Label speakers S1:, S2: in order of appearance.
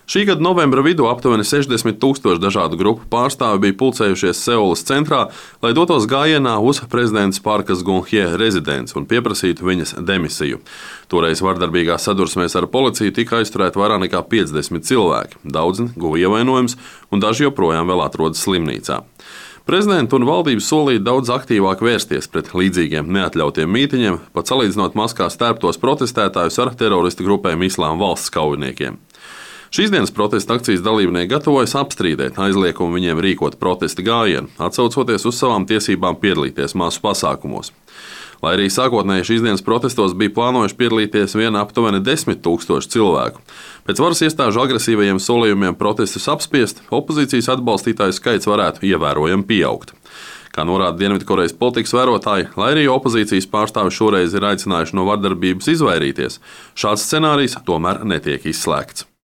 S1: Šī gada novembra vidū aptuveni 60,000 dažādu grupu pārstāvi bija pulcējušies Seulas centrā, lai dotos gājienā uz prezidents Parkas Geun-hye rezidenci un pieprasītu viņas demisiju. Toreiz vardarbīgās sadursmēs ar policiju tika aizturēti vairāk nekā 50 cilvēki. Daudzi guva ievainojumus, un daži joprojām vēl atrodas slimnīcā. Prezidents un valdība solīja daudz aktīvāk vērsties pret līdzīgiem neatļautiem mītiņiem, pat salīdzinot maskās tērptos protestētājus ar teroristu grupēm Islāma valsts kaujiniekiem. Šīs dienas protesta akcijas dalībnieki gatavojas apstrīdēt aizliegumu viņiem rīkot protesta gājienu, atsaucoties uz savām tiesībām piedalīties masu pasākumos. Lai arī sākotnēji šīs dienas protestos bija plānojuši piedalīties vien aptuveni 10,000 cilvēku. Pēc varas iestāžu agresīvajiem solījumiem protestus apspiest, opozīcijas atbalstītāju skaits varētu ievērojami pieaugt. Kā norāda Dienvidkorejas politikas vērotāji, lai arī opozīcijas pārstāvi šoreiz ir aicinājuši no vardarbības izvairīties, šāds scenārijs tomēr netiek izslēgts.